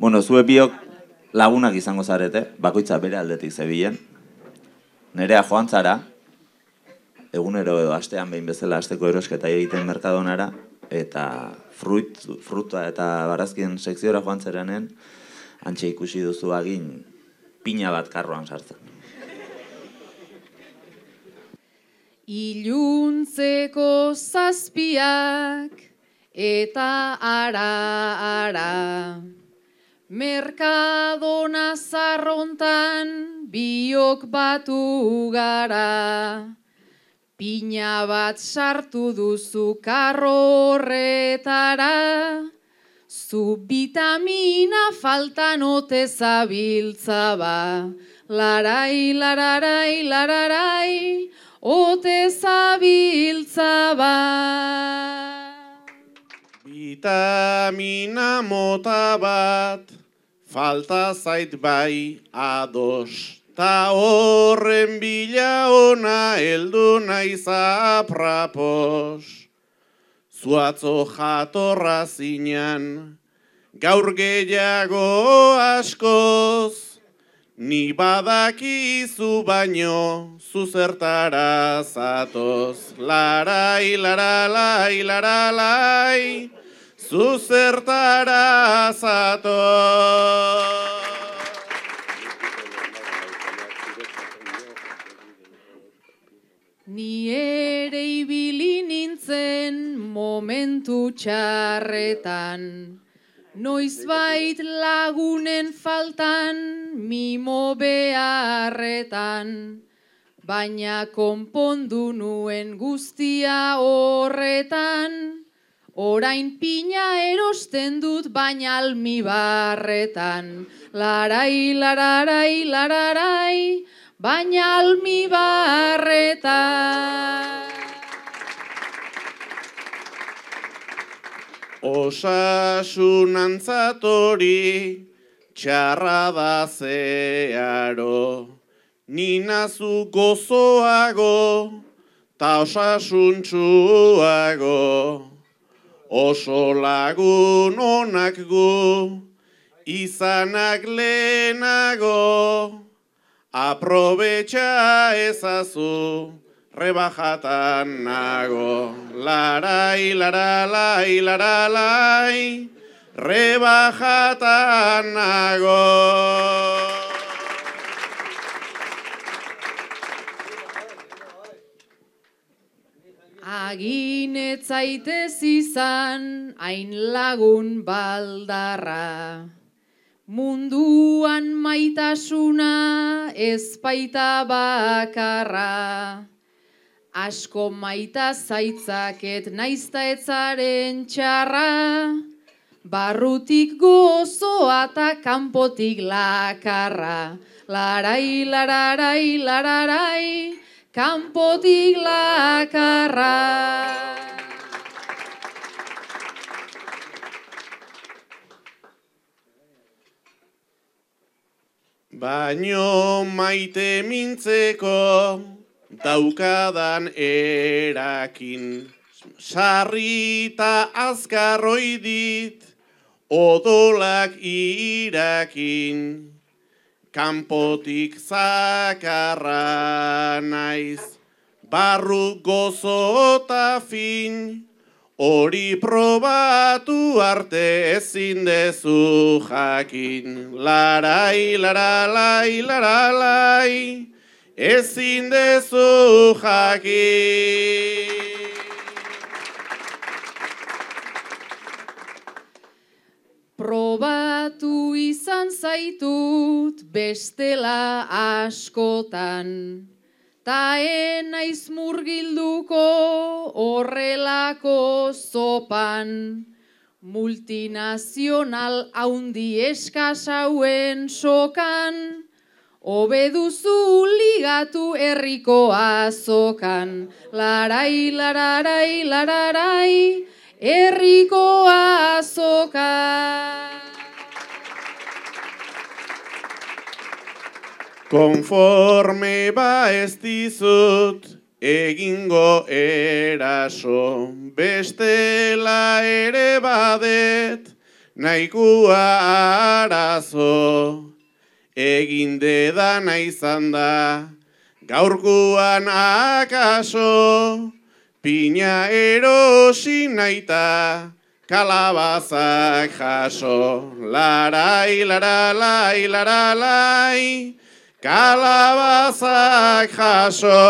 Bueno, zue biok lagunak izango zarete, bakoitza bere aldetik zebilen. Nerea joan zara, egunero edo astean behin bezala asteko erosketa egiten merkadonara, eta fruta eta barazkien sekziora joan zeranen, antxe ikusi duzu agin pina bat karroan sartzen. Iluntzeko zazpiak eta ara, Merkadona zarrontan biok batu gara, pina bat sartu duzu karro horretara, zu vitamina faltan ote zabiltza ba, larai, lararai, lararai, ote zabiltza ba. Vitamina mota bat, falta zait bai ados, ta horren bila ona heldu naiz aprapos. Zuatzo jatorra zinan, gaur gehiago askoz, ni badakizu baino, zuzertara zatoz. Larai, laralai, laralai, zuzertara zatoz. Ni ere ibili nintzen momentu txarretan, noizbait lagunen faltan, mimo beharretan, baina konpondu nuen guztia horretan, orain pina erosten dut baina almibarretan, larai, lararai, lararai, baina almibarretan. Osasunantzat hori txarra da zeharo, ni nazu gozoago ta osasuntsuago. Oso lagun onak gu, izanak lehenago, aprobetxa ezazu, rebajatan nago. Larai, laralai, laralai, rebajatan nago. Aginetzaitez izan hain lagun baldarra, munduan maitasuna ez baita bakarra. Asko maita zaitzaket naizta etzaren txarra, barrutik gozoa eta kanpotik lakarra. Larai, lararai, lararai, kanpotik lakarra. Baino maite mintzeko daukadan erakin, sarrita azkarroi dit odolak irakin. Kanpotik zakarra naiz, barru gozota fin, hori probatu arte ezin dezu jakin. Larai, laralai, laralai, ezin dezu jakin. Probatu izan zaitut bestela askotan, ta enaiz murgilduko horrelako zopan, multinazional haundi eskasauen sokan, hobeduzu ligatu herriko azokan. Larai, lararai, lararai, herriko azoka. Konforme ba ez dizut egingo eraso, bestela ere badet nahikua arazo, egin dedana izan da, gaurkuan akaso, pina erosi naita, kalabazak jaso, larai, laralai, laralai, kalabazak jaso.